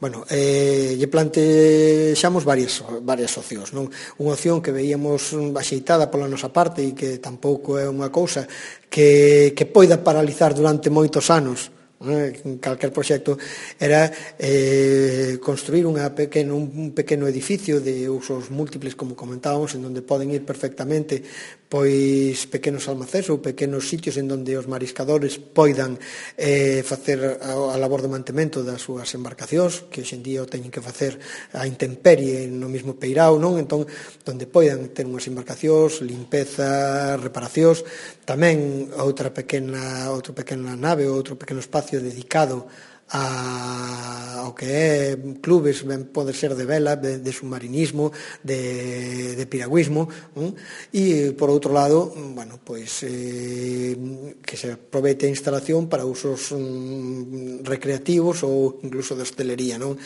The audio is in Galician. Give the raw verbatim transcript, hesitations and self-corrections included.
Bueno, eh, lle plantexamos varias, varias opcións, non? Unha opción que veíamos axeitada pola nosa parte e que tampouco é unha cousa que, que poida paralizar durante moitos anos, en calquer proxecto, era eh, construir unha pequeno, un pequeno edificio de usos múltiples, como comentábamos, en donde poden ir perfectamente pois pequenos almacéns ou pequenos sitios en donde os mariscadores poidan eh, facer a, a labor de mantemento das súas embarcacións, que hoxe en día o teñen que facer a intemperie no mesmo peirao, non? Entón, donde poidan ter unhas embarcacións, limpeza, reparacións, tamén outra pequena, outra pequena nave, outro pequeno espacio dedicado a, ao que é clubes, ben pode ser de vela, de, de submarinismo, de, de piragüismo, non? E por outro lado, bueno, pois eh, que se aproveite a instalación para usos mm, recreativos ou incluso de hostelería, non?